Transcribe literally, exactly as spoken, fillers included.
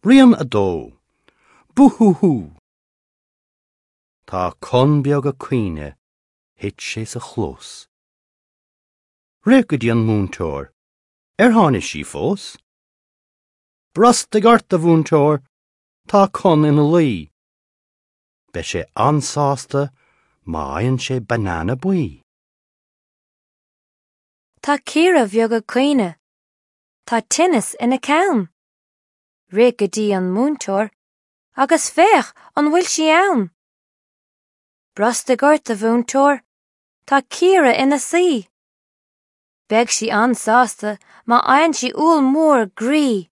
Rian a dó. Búhúhú! Tá Con beag ag caoineadh, thit sé sa chlós. Rith go dtí an múinteoir, ar tháinig sí fós? Brostaigh ort a mhúinteoir, tá Con ina luí. Beidh sé an-sásta má fhaigheann sé banana buí. Tá Ciara bheag ag caoineadh. Tá tinneas ina ceann. Rith go dtí an múinteoir, agus féach an bhfuil sí ann. Brostaigh ort a mhúinteoir, Tá Ciara ina suí. Beidh sí an-sásta má fhaigheann sí úll mór groí.